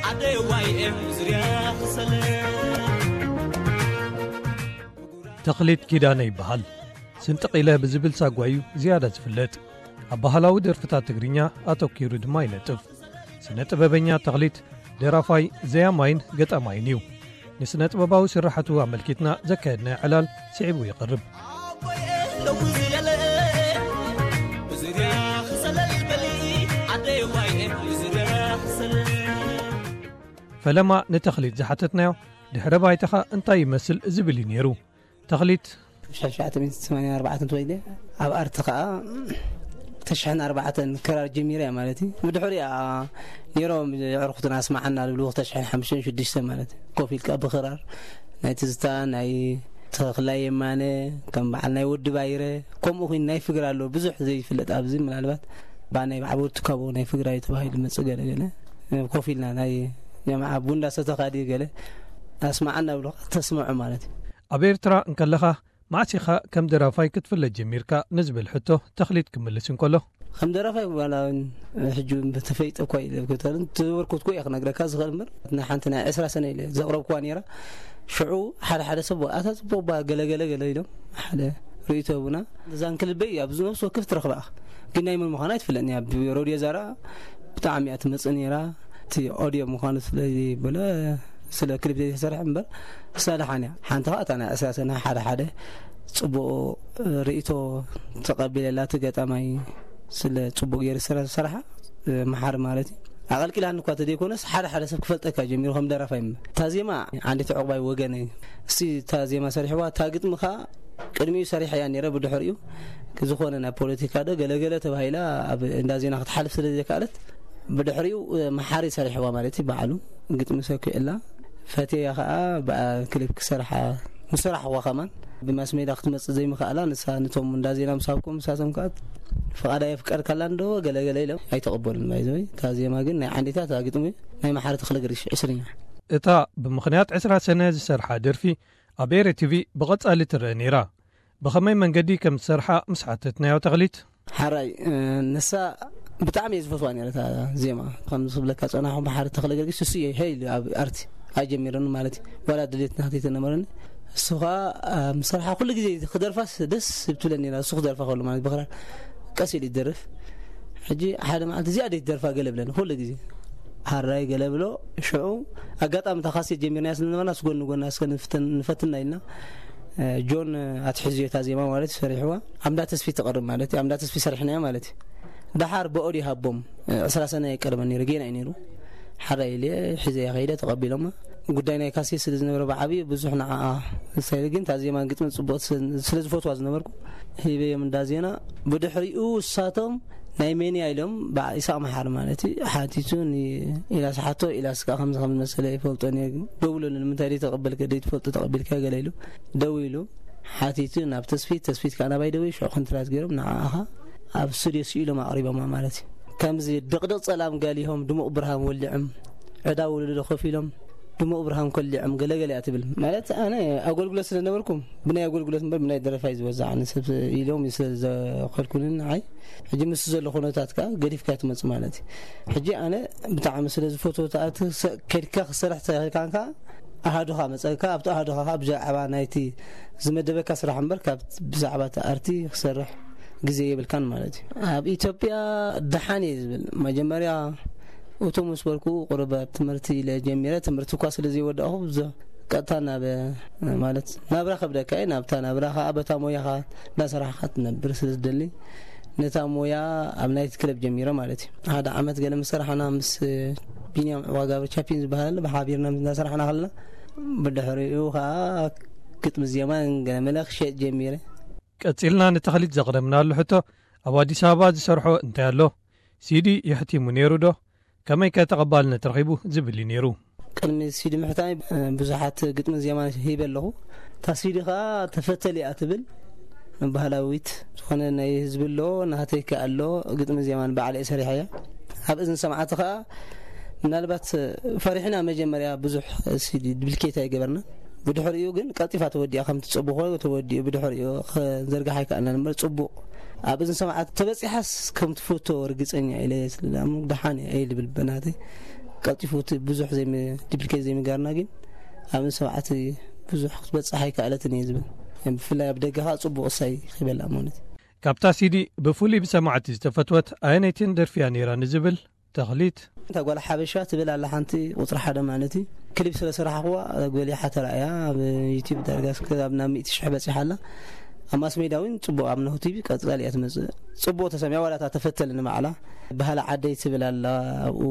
ዓደይ ዋይ ኤም ዙርያ ክሰለ። ተኽሊት ኪዳነ ይበሃል። ስንጥቕ ኢለ ብዝብል ሳጓ እዩ ዝያዳ ዝፍለጥ። ኣብ ባህላዊ ደርፍታት ትግርኛ ኣተኲሩ ድማ ይነጥፍ። ስነ ጥበበኛ ተኽሊት ደራፋይ፣ ዘያማይን ገጣማይን እዩ። ንስነ ጥበባዊ ስራሓቱ ኣመልኪትና ዘካየድናዮ ዕላል ስዒቡ ይቐርብ። ዓቦየ ለው ዝለለ፣ ብዙርያ ክሰለል በሊ፣ ዓደይ ዋይ ኤም ብዙርያ ክሰለል። ፈለማ ንተኽሊት ዝሓተትናዮ፣ ድሕረ ባይታኻ እንታይ ይመስል ዝብል እዩ ነይሩ። ተኽሊት፣ ሽሕን ትሽዓተ ሚእትን ሰማንያን ኣርባዕተን ተወሊደ። ኣብ ኣርቲ ከኣ ተሽሕን ኣርባዕተን ክራር ጀሚረ እያ ማለት እዩ። ብድሕሪኣ ነይሮም የዕርኹትና ኣስማዓና ዝብሉ ክልተ ሽሕን ሓሙሽተን ሽዱሽተን ማለት እዩ። ኮፍ ኢልካ ብክራር ናይ ትዝታ፣ ናይ ተኽላይ የማነ፣ ከም በዓል ናይ ወዲ ባይረ፣ ከምኡ ኹይኑ ናይ ፍግር ኣሎ ብዙሕ ዘይፍለጥ ኣብዚ ምናልባት ብናይ በዓል ወዲ ትካቦ ናይ ፍግራይ ተባሂሉ መጽእ ገለ ገለ ኮፍ ኢልና ናይ ጀማዓ ቡንዳ ሰተኻ ድዩ ገለ ኣስማዓና ብሎ ተስምዖ ማለት እዩ። ኣብ ኤርትራ እንከለኻ መዓስ ኢኻ ከም ደራፋይ ክትፍለጥ ጀሚርካ ንዝብል ሕቶ ተኽሊት ክምልስ እንከሎ፣ ከም ደራፋይ ዋላ እውን ሕጂ እውን ተፈይጠ እኳ ኢለ ክተልን ተበርኩትኩ እየ ክነግረካ ዝኽእል እምበር፣ ናይ ሓንቲ ናይ ዕስራ ሰነ ኢለ ዘቕረብኩዋ ነይራ። ሽዑ ሓደ ሓደ ሰብ ኣታ ጽቡቕ ባ ገለ ገለ ገለ ኢሎም ሓደ ርእይቶ ህቡና። እዛ እንክልበይ ኣብ ነፍሲ ወከፍ ትረኽባ ኢኻ። ግን ናይ መን ምዃና ኣይትፍለጥን እያ። ኣብ ሮድዮ ዛራ ብጣዕሚ እያ ትመጽእ ነይራ። እቲ ኦድዮ ምዃኑ ስለ ዘይበለ ስለ ክሊፕ ዘይተሰርሐ እምበር ክሳብ ደሓን እያ። ሓንቲ ኸኣ እታ ናይ ዕስራ ሰነ ሓደ ሓደ ጽቡቕ ርእይቶ ተቐቢለላ። እቲ ገጣማይ ስለ ጽቡቕ ገይሩ ስለ ዝሰርሓ መሓሪ ማለት እዩ። ኣቐልቂላኒ እኳ ተዘይኮነስ ሓደ ሓደ ሰብ ክፈልጠካ ጀሚሩ ከም ደራፋይ እምበር። እታ ዜማ ዓንዲቲ ዕቑባይ ወገነይ እስቲ እታ ዜማ ሰሪሕዋ፣ እታ ግጥሚ ኸኣ ቅድሚኡ ሰሪሐያ ነይረ። ብድሕሪኡ ዝኾነ ናይ ፖለቲካ ዶ ገለገለ ተባሂላ ኣብ እንዳ ዜና ክትሓልፍ ስለ ዘይከኣለት ብድሕሪኡ መሓሪ ሰሪሕዋ ማለት እዩ። ባዕሉ ግጥሚ ሰኪዕላ ፈትያ ኸኣ ብኣ ክሊፕ ክሰርሓ ምስ ሰራሕዋ ከማን ብማስ ሜዳ ክትመጽእ ዘይምኽኣላ ንሳ ነቶም እንዳ ዜና ምስ ሃብኩም ንሳቶም ከኣ ፍቓዳ የፍቀድካላ እንዶ ገለገለ ኢሎም ኣይተቐበሉን። ባይዘወይ እታ ዜማ ግን ናይ ዓንዲታ እታ ግጥሚ ናይ መሓሪ ተኽለ ገርግሽ ዕስርኛ። እታ ብምኽንያት ዕስራ ሰነ ዝሰርሓ ደርፊ ኣብ ኤረ ቲቪ ብቐጻሊ ትረአ ነይራ። ብኸመይ መንገዲ ከም ዝሰርሓ ምስ ሓተትናዮ ተኽሊት፣ ሓራይ፣ እ፣ ንሳ ብጣዕሚ እየ ዝፈትዋ ነይረ እታ ዜማ። ከም ዝብለካ ጸናሕኩም ብሓሪ ተኽለ ገርጊስ እሱ እየ ሄይ ኢሉ ኣብ ኣርቲ ኣጀሚረኒ ማለት እዩ። ዋላ ድሌት ናተይ ተነበረኒ። እሱ ኸኣ፣ እ፣ ምስ ሰርሓ ኩሉ ግዜ ክደርፋስ ደስ ትብለኒ ነይራ። እሱ ክደርፋ ከሎ ማለት ብኽራር ቀስ ኢሉ ይደርፍ። ሕጂ ሓደ መዓልቲ እዚኣ ደይ ትደርፋ ገለ ብለኒ ኩሉ ግዜ። ሓራይ ገለ ብሎ። ሽዑ ኣጋጣሚ እታ ካሴት ጀሚርናያ ስለ ዝነበርና፣ ስጎን ንጎና እስከ ንፍትን-፣ ንፈትና ኢልና፣ እ፣ ጆን ኣትሒዙ እታ ዜማ ማለት እዩ ሰሪሕዋ። ኣምዳ ተስፊ ትቐርብ ማለት እዩ። ኣምዳ ተስፊ ሰሪሕናያ ማለት እዩ። ደሓር ብኦድዮ ሃቦም፣ እ፣ ዕስራ ሰነ ኣይቀርበን ነይሩ፣ ጌና እዩ ነይሩ። ሓራይ ኢለ ሒዘያ ከይደ፣ ተቐቢሎማ። ጉዳይ ናይ ካሴት ስለ ዝነበረ ብዓብዩ ብዙሕ ንዓኣ ሳይለ፣ ግን እታ ዜማን ግጥምን ጽቡቕ ስለ፣ ስለ ዝፈትዋ ዝነበርኩ፣ ሂበዮም እንዳ ዜና። ብድሕሪኡ እሳቶም ናይ መን እያ ኢሎም ብዓ-፣ ይስሐቅ መሓሪ ማለት እዩ ሓቲቱ ን-፣ ኢላስ ሓቶ፣ ኢላስ ከኣ ከምዚ ከም ዝመሰለ ይፈልጦን እየ፣ ደውለሉ፣ ንምንታይ ደይ ተቐበልከ፣ ደይ ትፈልጦ ተቐቢልካ ገለ ኢሉ ደዊሉ ሓቲቱ ናብ ተስፊት፣ ተስፊት ከኣ ናባይ ደዊ፣ ሽዑ ኮንትራት ገይሮም ንዓኣ ኣብ ስቱድዮ ስኢሎም ኣቕሪቦማ ማለት እዩ። ከምዚ ድቕድቕ ጸላም ጋሊሆም ድሙቕ ብርሃን ወሊዖም፣ ዕዳ ወለዶ ኮፍ ኢሎም ድሙቕ ብርሃን ኮሊዖም ገለገለ እያ ትብል። ማለት ኣነ ኣገልግሎት ስለ ነበርኩም ብናይ ኣገልግሎት እምበር ብናይ ደረፋይ ዝበዛዕ ኣነ ሰብ ኢሎም ስለ ዘኸልኩኒ ንዓይ፣ ሕጂ ምስ ዘሎ ኩነታት ከኣ ገዲፍካ ትመጽእ ማለት እዩ። ሕጂ ኣነ ብጣዕሚ ስለ ዝፈትዎ ተኣቲ ሰ-፣ ከድካ ክሰርሕ ተኽእልካ ከኣ ኣሃዱኻ መጸካ፣ ኣብቲ ኣሃዱኻ ከኣ ብዛዕባ ናይቲ ዝመደበካ ስራሕ እምበር ካብ ብዛዕባ እቲ ኣርቲ ክሰርሕ ግዜ የብልካን ማለት እዩ። ኣብ ኢትዮጵያ ደሓን እየ ዝብል። መጀመርያ እቱ ምስ በልኩ ቁሩብ ኣብ ትምህርቲ ኢለ ጀሚረ። ትምህርቲ እኳ ስለ ዘይወዳእኹ ብዙሕ ቀጥታ ናብ፣ ማለት፣ ናብራ ከብደካ እዩ። ናብታ ናብራ ከኣ በታ ሞያኻ እንዳሰራሕካ ትነብር ስለ ዝደሊ፣ ነታ ሞያ ኣብ ናይቲ ክለብ ጀሚረ ማለት እዩ። ሓደ ዓመት ገለ ምስ ሰራሕና ምስ ቢንያም ዕዋጋብር ቻፒን ዝበሃል ብሓቢርና ምስ እንዳሰራሕና ከለና፣ ብድሕሪኡ ከኣ ግጥሚ ዜማን ገለ መለ ክሸጥ ጀሚረ። ቀጺልና ንተኽሊት ዘቕረብናሉ ሕቶ፣ ኣብ ኣዲስ ኣበባ ዝሰርሖ እንታይ ኣሎ? ሲዲ የሕቲሙ ነይሩ ዶ? ከመይከ ተቐባልነት ረኺቡ? ዝብል እዩ ነይሩ። ቅድሚ ሲዲ ምሕታመይ፣ እ፣ ብዙሓት ግጥምን ዜማን ሂበ ኣለኹ። እታ ሲዲ ኸኣ ተፈተል እያ ትብል። ባህላዊት ዝኾነ ናይ ህዝቢ ኣሎ፣ ናተይ ከኣ ኣሎ፣ ግጥምን ዜማን ባዕለይ ሰሪሐያ። ኣብ እዝኒ ሰማዕቲ ኸኣ ምናልባት ፈሪሕና መጀመርያ ብዙሕ ሲዲ ድብሊኬት ኣይገበርና። ብድሕሪኡ ግን ቀልጢፋ ተወዲኣ፣ ከም ትጽብኾ ተወዲኡ ብድሕሪኡ ክንዘርግሓ ኣይከኣልናን እምበር ጽቡቕ ኣብ እዝኒ ሰማዕቲ ተበጺሓስ ከም ትፈቶ ርግጸኛ ኢለ ስለ ደኣ ደሓን እየ እየ ዝብል በናተይ። ቀልጢፉ እቲ ብዙሕ ዘይም-፣ ዲፕሊኬት ዘይምጋርና ግን ኣብ ሰብዓት ብዙሕ ክትበጽሕ ኣይከኣለትን እየ ዝብል። ብፍላይ ኣብ ደገ ኸኣ ጽቡቕ እሳይ ክበላ ማለት እዩ። ካብታ ሲዲ ብፍሉይ ብሰማዕቲ ዝተፈትወት ኣየነይትን ደርፊያ ነይራ ንዝብል ተኽሊት። እታ ጓል ሓበሻ ትብል ኣላ ሓንቲ ቁጽሪ ሓደ ማለት እዩ። ክሊፕ ስለ ሰራሕኽዋ ጎሊሓ ተራእያ ኣብ ዩቲዩብ ዳርጋ እስከ ኣብ ናብ ሚእቲ ሽሕ በጺሓ ኣላ። ኣብ ማስ ሜድያ እውን ጽቡቕ ኣብ ናሁ ቲቪ ቀጻሊ እያ ትመጽእ። ጽቡቕ ተሰሚዓ ዋላ እታ ተፈተል ንባዕላ። ባህሊ ዓደይ ትብል ኣላ ኣብኡ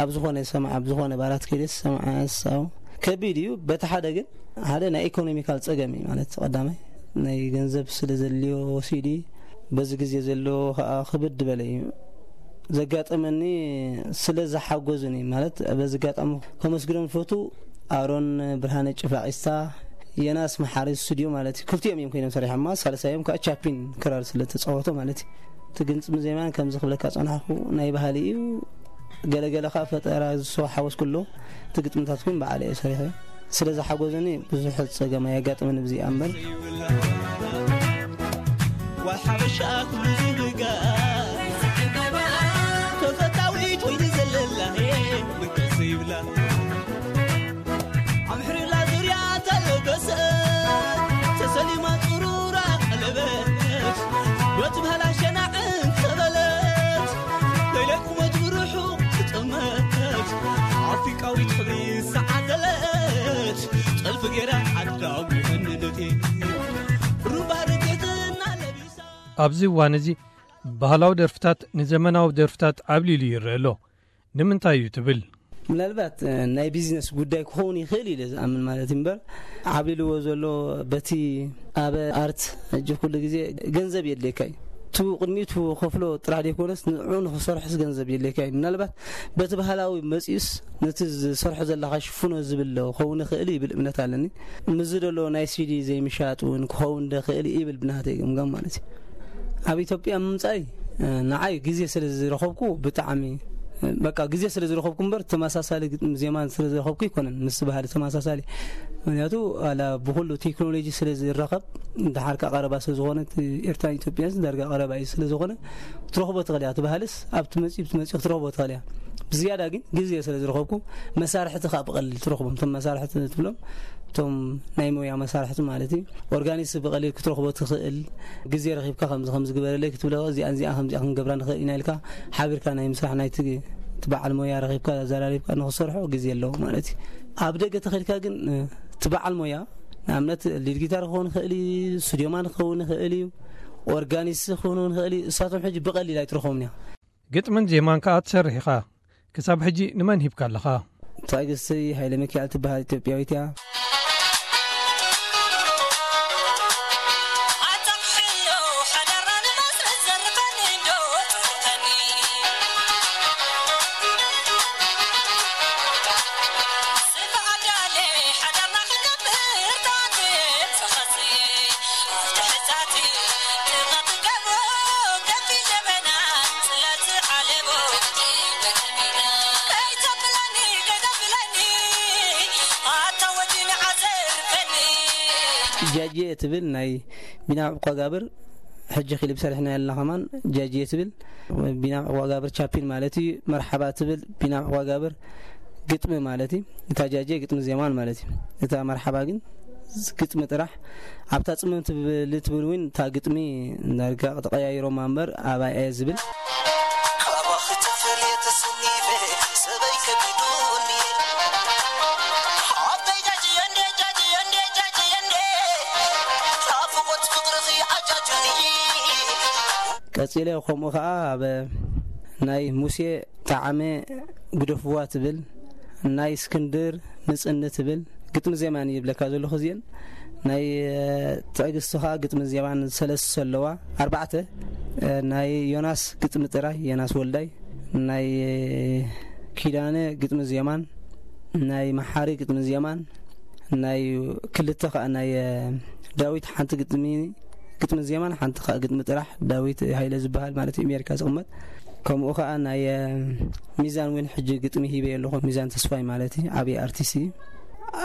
ኣብ ዝኾነ ሰማዕ ኣብ ዝኾነ ባራት ከይደስ ሰማዕ ያሳው ከቢድ እዩ። በቲ ሓደ ግን ሓደ ናይ ኢኮኖሚካል ጸገም እዩ ማለት ቀዳማይ ናይ ገንዘብ ስለ ዘልዮ ሲዲ በዚ ግዜ ዘሎ ኸኣ ክብድ በለ እዩ ዘጋጠመኒ። ስለ ዝሓጎዙኒ ማለት በዚ ኣጋጣሚ ከመስግኖም ፈቱ ኣሮን ብርሃነ ጭፋቂስታ የናስ መሓሪ ስቱድዮ ማለት እዩ። ክልቲኦም እዮም ኮይኖም ሰሪሖማ። ሳልሳዮም ከዓ ቻፒን ክራር ስለ ተጻወቶ ማለት እዩ። እቲ ግጥሚ ዜማን ከምዚ ክብለካ ጸናሕኩ ናይ ባህሊ እዩ። ገለገለ ከዓ ፈጠራ ዝሰው ሓወስ ኩሎ እቲ ግጥምታት ግን በዓለ እየ ሰሪሐ። ስለ ዝሓጎዘኒ ብዙሕ ጸገም ኣየጋጥምን ብዚኣ እምበር። ጓል ሓበሻ ኩሉ ዝብጋ ተፈታዊት ወይኒ ዘለላ መገሰ ይብላ ኣምሕርላ ዙርያ ተለገሰ ተሰሊማ ጥሩራ ቀለበት ወትብሃላ ሸናዕን ተበለት ለይለ ቁመት ብርሑ ትጥመት ኣፍሪቃዊት ክብሪ ዝዓደለት ጥልፊ ገይራ ዓዳም ይፈንነቴ ሩባ ርጌትና ለቢሳ ኣብዚ እዋን እዚ ባህላዊ ደርፍታት ንዘመናዊ ደርፍታት ዓብሊሉ ይረአ ኣሎ። ንምንታይ እዩ ትብል? ምናልባት እ፣ ናይ ቢዝነስ ጉዳይ ክኸውን ይኽእል ኢለ ዝኣምን ማለት እዩ እምበር ዓብሊልዎ ዘሎ በቲ ኣብ ኣርት ሕጂ ኩሉ ግዜ ገንዘብ የድልየካ እዩ። እቲ ቅድሚኡ እቲ ከፍሎ ጥራሕ ዘይኮነስ ንዕኡ ንክሰርሕስ ገንዘብ የድልየካ እዩ። ምናልባት በቲ ባህላዊ መፂኡስ ነቲ ዝሰርሖ ዘለካ ሽፍኖ ዝብል ዶ ክኸውን ይኽእል ይብል እምነት ኣለኒ። ምስዚ ዘሎ ናይ ሲዲ ዘይምሻጥ እውን ክኸውን ዶ ይኽእል ይብል ብናተይ ገምጋም ማለት እዩ። ኣብ ኢትዮጵያ ምምፃይ እ፣ ንዓይ ግዜ ስለ ዝረኸብኩ ብጣዕሚ እ፣ በቃ ግዜ ስለ ዝረኸብኩ እምበር ተመሳሳሊ ግጥሚ ዜማን ስለ ዝረኸብኩ ኣይኮነን ምስ ባህሊ ተመሳሳሊ። ምክንያቱ ኣላ ብኩሉ ቴክኖሎጂ ስለ ዝረኸብ እንድሓር ከዓ ቀረባ ስለ ዝኾነ እቲ ኤርትራን ኢትዮጵያን ዳርጋ ቀረባ እዩ ስለ ዝኾነ ክትረኽቦ ትኽእል እያ። እቲ ባህልስ ኣብቲ መፂእ ብቲ መፂእ ክትረኽቦ ትኽእል እያ። ብዝያዳ ግን ግዜ ስለ ዝረኸብኩ መሳርሕቲ ከዓ ብቐሊል ትረኽቦም። እቶም መሳርሕቲ ትብሎም እቶም ናይ ሞያ መሳርሕቲ ማለት እዩ። ኦርጋኒስት ብቐሊል ክትረኽቦ ትኽእል። ግዜ ረኺብካ ከምዚ ከምዚ ግበረለይ ክትብሎ እዚኣን እዚኣ ከምዚኣ ክንገብራ ንኽእል ኢና ኢልካ ሓቢርካ ናይ ምስራሕ ናይቲ እቲ በዓል ሞያ ረኺብካ ኣዘራሪብካ ንኽሰርሖ ግዜ ኣለዎ ማለት እዩ። ኣብ ደገ ተኸድካ ግን እ፣ እቲ በዓል ሞያ ንኣብነት ሊድ ጊታር ክኸውን ይኽእል እዩ፣ ስቱድዮማን ክኸውን ይኽእል እዩ፣ ኦርጋኒስት ክኸውን ይኽእል እዩ። እሳቶም ሕጂ ብቐሊል ኣይትረኽቦምን እያ። ግጥምን ዜማን ከኣ ትሰርሕ ኢኻ። ክሳብ ሕጂ ንመን ሂብካ ኣለኻ? ትዕግስቲ ሃይለ ሚካኤል ትበሃል ኢትዮጵያዊት እያ። ጃጄ ትብል ናይ ቢናም ዕቋጋብር ሕጂ ክሊፕ ሰሪሕና ያለና ከማን ጃጄ ትብል ቢናም ዕቋጋብር ቻፒን ማለት እዩ። መርሓባ ትብል ቢናም ዕቋጋብር ግጥሚ ማለት እዩ። እታ ጃጄ ግጥሚ ዜማን ማለት እዩ። እታ መርሓባ ግን ግጥሚ ጥራሕ ኣብታ ጽምም ትብል ትብል እውን እታ ግጥሚ ዳርጋ ተቐያይሮማ እምበር ኣባይ እየ ዝብል። ካባኺ ተፈልየ ተሰኒፈ ሰበይ ከቢዱኒ። ሓፍተይ ጃጅየ እንዴ፣ ጃጅየ እንዴ፣ ጃጅየ እንዴ። ናፍቖት ፍቕርኺ ኣጃጁኒ። ቀጺለ ከምኡ ኸኣ ኣብ ናይ ሙሴ ጣዕመ ግደፍዋ ትብል፣ ናይ እስክንድር ምጽኒ ትብል፣ ግጥሚ ዜማን ይብለካ ዘለኹ እዚአን። ናይ፣ እ፣ ትዕግስቲ ኸኣ ግጥሚ ዜማን ሰለስተ ኣለዋ፣ ኣርባዕተ። እ፣ ናይ ዮናስ ግጥሚ ጥራይ፣ ዮናስ ወልዳይ፣ ናይ ኪዳነ ግጥሚ ዜማን፣ ናይ መሓሪ ግጥሚ ዜማን፣ ናይ ክልተ ኸኣ ናይ፣ እ፣ ዳዊት ሓንቲ ግጥሚ፣ ግጥሚ ዜማን ሓንቲ ኸኣ ግጥሚ ጥራሕ ዳዊት ሃይለ ዝበሃል ማለት እዩ፣ ኣሜሪካ ዝቕመጥ። ከምኡ ኸኣ ናይ፣ እ፣ ሚዛን እውን ሕጂ ግጥሚ ሂበ ኣለኹ፣ ሚዛን ተስፋይ ማለት እዩ፣ ዓብዪ ኣርቲስት እዩ።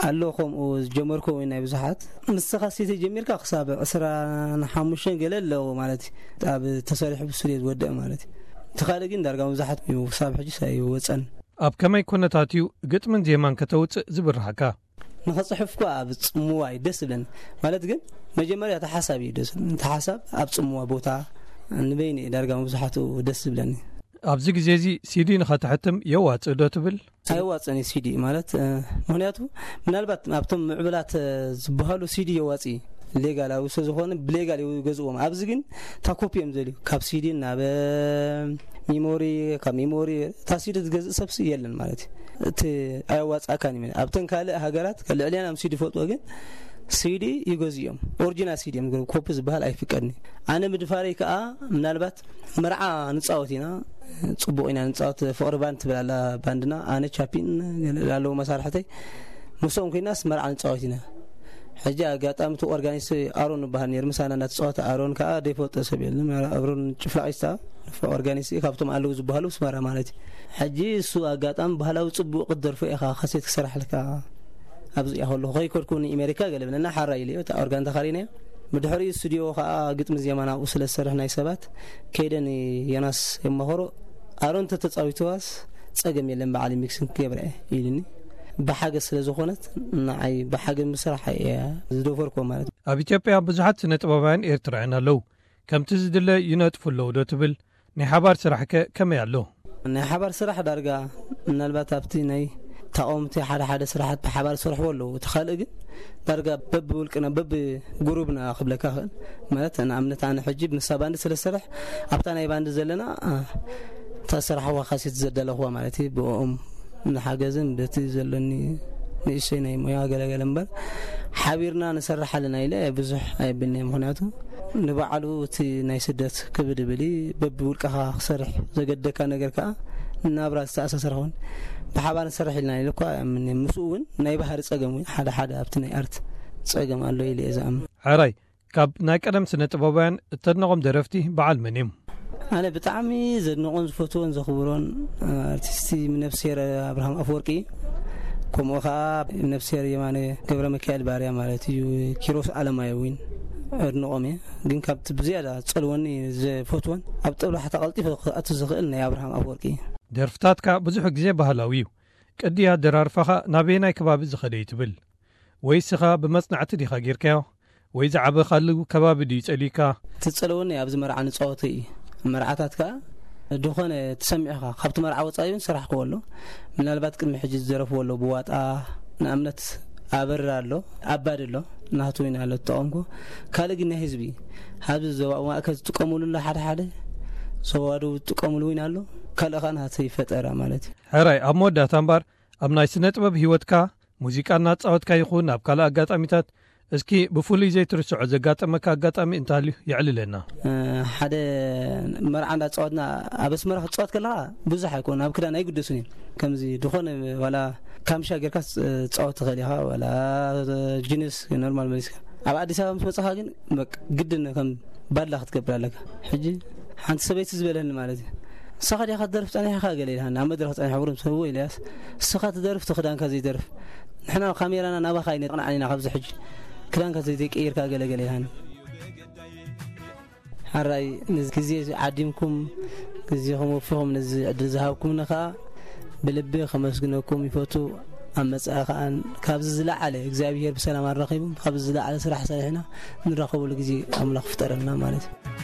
ኣሎ ከምኡ ዝጀመርኩ እውን ናይ ብዙሓት። ንስኻ ሴተ ጀሚርካ ክሳብ ዕስራን ሓሙሽተን ገለ ኣለዎ ማለት እዩ፣ ኣብ ተሰሪሑ ብስቱድዮ ዝወደአ ማለት እዩ። እቲ ካልእ ግን ዳርጋ መብዛሕትኡ ክሳብ ሕጂ ኣይወጸን። ኣብ ከመይ ኩነታት እዩ ግጥምን ዜማን ከተውፅእ ዝብርሃካ? ንኸፅሕፍ እኳ ኣብ ፅምዋ እዩ ደስ ዝብለኒ። ማለት ግን መጀመርያ እቲ ሓሳብ እዩ ደስ ዝብለኒ። እቲ ሓሳብ ኣብ ፅምዋ ቦታ ንበይኒ እዩ ዳርጋ መብዛሕትኡ ደስ ዝብለኒ። ኣብዚ ግዜ እዚ ሲዲ ንኸተሕትም የዋፅእ ዶ ትብል? ኣይዋፅእን እዩ ሲዲ ማለት እ፣ ምክንያቱ ምናልባት ኣብቶም ምዕብላት እ፣ ዝበሃሉ ሲዲ የዋፅ እዩ ሌጋላዊ ስለዝኾነ ብሌጋል ይገዝእዎም። ኣብዚ ግን እታ ኮፒ እዮም ዘልዩ ካብ ሲዲ ናብ እ፣ ሚሞሪ ካብ ሚሞሪ እታ ሲዲ ዝገዝእ ሰብሲ የለን ማለት እዩ። እቲ ኣየዋፅኣካን እዩ። ኣብተን ካልእ ሃገራት ልዕልያን ኣብ ሲዲ ፈልጥዎ ግን ሲዲ ይገዝኡ እዮም። ኦሪጂናል ሲዲ እዮም ዝገዝኡ። ኮፒ ዝበሃል ኣይፍቀድን እዩ። ኣነ ምድፋረይ ከዓ ምናልባት መርዓ ንፃወት ኢና፣ ፅቡቕ ኢና ንፃወት። ፍቕሪ ባንድ ትብል ኣላ ባንድና፣ ኣነ ቻፒን ገለ ኣለዉ መሳርሕተይ ምስኦም ኮይናስ መርዓ ንፃወት ኢና። ሕጂ ኣጋጣሚ እቲ ኦርጋኒስት ኣሮን ይበሃል ነይሩ፣ ምሳና እናተፃወተ ኣሮን ከዓ ዘይፈልጦ ሰብ የለን። ኣሮን ጭፍላቒስታ ኦርጋኒስት ካብቶም ኣለዉ ዝበሃሉ ስመራ ማለት እዩ። ሕጂ እሱ ኣጋጣሚ ባህላዊ ፅቡቕ ክትደርፎ ኢኻ ካሴት ክሰራሕልካ ኣብዚ እያ ከለኹ ከይከድኩ ንኤሜሪካ ገለ ብለና ሓራ ኢለዮ እታ ኦርጋን ተኻሪናዮ። ብድሕሪኡ ስቱዲዮ ከዓ ግጥሚ ዜማ ናብኡ ስለ ዝሰርሕ ናይ ሰባት ከይደ ንዮናስ የማኸሮ ኣሮን ተተፃዊትዋስ ፀገም የለን በዓል ሚክስን ክገብረ እየ ኢሉኒ። ብሓገዝ ስለ ዝኾነት ንዓይ ብሓገዝ ምስራሕ እየ ዝደፈርኮ ማለት እዩ። ኣብ ኢትዮጵያ ብዙሓት ስነ ጥበባውያን ኤርትራውያን ኣለዉ። ከምቲ ዝድለ ይነጥፉ ኣለዉ ዶ ትብል? ናይ ሓባር ስራሕከ ከመይ ኣሎ? ናይ ሓባር ስራሕ ዳርጋ ምናልባት ኣብቲ ናይ ተቃወምቲ ሓደ ሓደ ስራሓት ብሓባር ዝሰርሕዎ ኣለዉ። እቲ ካልእ ግን ዳርጋ በቢ ውልቅና በቢ ጉሩብና ክብለካ ክእል ማለት ንኣብነት ኣነ ሕጂ ምሳ ባንዲ ስለ ዝሰርሕ ኣብታ ናይ ባንዲ ዘለና እ፣ እታ ዝሰራሕዋ ካሴት ዘዳለኽዋ ማለት እዩ ብኦም ንሓገዝን በቲ ዘለኒ ንእሽተይ ናይ ሞያ ገለገለ እምበር ሓቢርና ንሰርሕ ኣለና ኢለ ብዙሕ ኣይብልንየ። ምክንያቱ ንባዕሉ እቲ ናይ ስደት ክብድ ይብል እዩ። በብውልቅኻ ክሰርሕ ዘገደካ ነገር ከዓ ናብራ ዝተኣሳሰረ ክኸውን ብሓባር ንሰርሕ ኢልና ኢለ እኳ ኣይኣምንየ። ምስኡ እውን ናይ ባህሪ ፀገም እውን ሓደ ሓደ ኣብቲ ናይ ኣርት ፀገም ኣሎ ኢለ እየ ዝኣምን። ሕራይ፣ ካብ ናይ ቀደም ስነ ጥበባውያን እተድንቖም ደረፍቲ በዓል መን እዮም? ኣነ ብጣዕሚ ዘድንቖን ዝፈትዎን ዘኽብሮን ኣርቲስቲ ነፍስሄር ኣብርሃም ኣፈወርቂ፣ ከምኡ ከዓ ነፍስሄር የማነ ገብረ ሚካኤል ባርያ ማለት እዩ። ኪሮስ ኣለማየሁ እውን ኣድንቖም እየ። ግን ካብቲ ብዝያዳ ዝጸልወኒ ዘፈትወን ኣብ ጠብላሕታ ቀልጢፈ ክኣቱ ዝኽእል ናይ ኣብርሃም ኣፈወርቂ እዩ። ደርፍታትካ ብዙሕ ግዜ ባህላዊ እዩ። ቅዲ ኣደራርፋኻ ናበየናይ ከባቢ ዝኸደ እዩ ትብል? ወይስ ኢኻ ብመጽናዕቲ ዲኻ ጌርካዮ? ወይ ዝዓበኻሉ ከባቢ ድዩ ጸሊካ? እቲ ዝጸለወኒ ኣብዚ መርዓ ንጻወቶ እዩ። መርዓታት ከኣ ድኾነ ተሰሚዕኻ ካብቲ መርዓ ወጻኢ እውን ሰራሕክዎ ኣሎ። ምናልባት ቅድሚ ሕጂ ዝደረፍዎ ኣሎ ብዋጣ ንኣብነት ኣበራ ኣሎ፣ ኣባዲ ኣሎ፣ ናቱ እውን ኣሎ ዝጠቐምኩ። ካልእ ግን ናይ ህዝቢ ኣብዚ ዞባ ማእከል ዝጥቀምሉ ኣሎ ሓደ ሓደ፣ ዞባ ደቡብ ዝጥቀምሉ እውን ኣሎ። ካልእ ከኣ ናተይ ፈጠራ ማለት እዩ። ሕራይ ኣብ መወዳእታ እምበር ኣብ ናይ ስነ ጥበብ ህይወትካ ሙዚቃ እናተጻወትካ ይኹን ኣብ ካልእ ኣጋጣሚታት እስኪ ብፍሉይ ዘይትርስዖ ዘጋጠመካ ኣጋጣሚ እንተሃልዩ የዕልለና። ሓደ መርዓ እንዳተጻወትና ኣብ ኣስመራ ክትጻወት ከለኻ ብዙሕ ኣይኮን ኣብ ክዳን ኣይግደሱን እዮም። ከምዚ ድኾነ ዋላ ካምሻ ጌርካ ትጻወት ትኽእል ኢኻ ዋላ ጂንስ ኖርማል መሊስካ። ኣብ ኣዲስ ኣበባ ምስ መጻኻ ግን በቃ ግድን ከም ባድላ ክትገብር ኣለካ። ሕጂ ሓንቲ ሰበይቲ ዝበለኒ ማለት እዩ። ንስኻ ዲኻ ትደርፍ ጸኒሕካ ገለ ኢልሃኒ ኣብ መድረኽ ጸኒሐ ውርም ሰብዎ ኢለያስ ንስኻ ትደርፍ እቲ ክዳንካ ዘይደርፍ ንሕና ካሜራና ናባኻ ኣይነቕንዓን ኢና ካብዚ ሕጂ ክዳንካ ዘይተቀይርካ ገለ ገለ ኢልሃኒ። ሓራይ ነዚ ግዜ ዓዲምኩም ግዜኹም ወፊኹም ነዚ ዕድል ዝሃብኩምኒ ከዓ ብልቢ ከመስግነኩም ይፈቱ። ኣብ መጻኢ ከዓ ካብዚ ዝለዓለ እግዚኣብሔር ብሰላም ኣራኺቡ ካብዚ ዝለዓለ ስራሕ ሰሪሕና ንራኸበሉ ግዜ ኣምላኽ ፍጠረልና ማለት እዩ።